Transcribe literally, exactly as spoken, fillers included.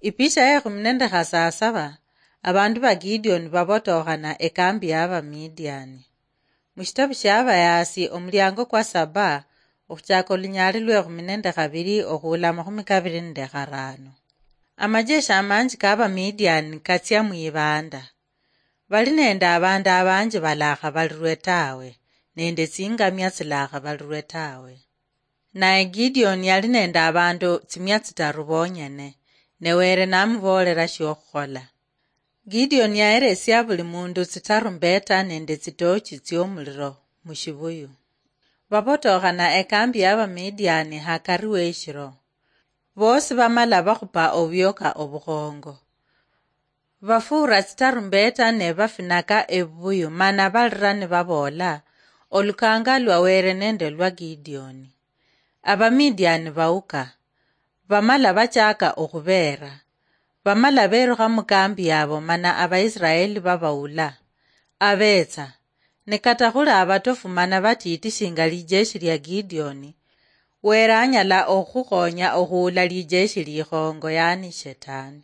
Ipisha ya ekhumi nende khasasaba, abandu ba Gideoni babotokhana ekambi ya Bamidiani. Mushitabu shia Abayaasi, omuliango kwa saba, okhuchaka olunyali lwe ekhumi nende khabiri okhuula amakhumi kabiri nende kharano. Amajeshi amanji ka Bamidiani katsia mwibanda. Bali nende abandu abanji balakhabalirwe tawe, nende tsingamia tsilakhabalirwe tawe. Naye Gideoni yali nende abandu tsimia tsitaru bonyene, ne Were namuboolera shiokhukhola. Gideoni yaheresia buli mundu tsitarumbeta nende tsitochi tsiomuliro mushibuyu. Babotokhana ekambi ya Bamidiani hakari weshiro. Bosi bamala bakhupa obwioka obukhongo. Bafuura tsitarumbeta ne bafinaka ebubuyu, mana balira nibaboola, "Olukanga lwa Were nende lwa Gideoni." Abamidiani bauka, bamala bachaka okhubeera. Bamala berukha mukambi yabo, mana Abaisiraeli babaula. Abetsa, ne kata khuli abatofu mana batiiti shinga lijeshi lia Gideoni, Were anyala okhukhonya okhuula lijeshi likhongo, yani Shetani.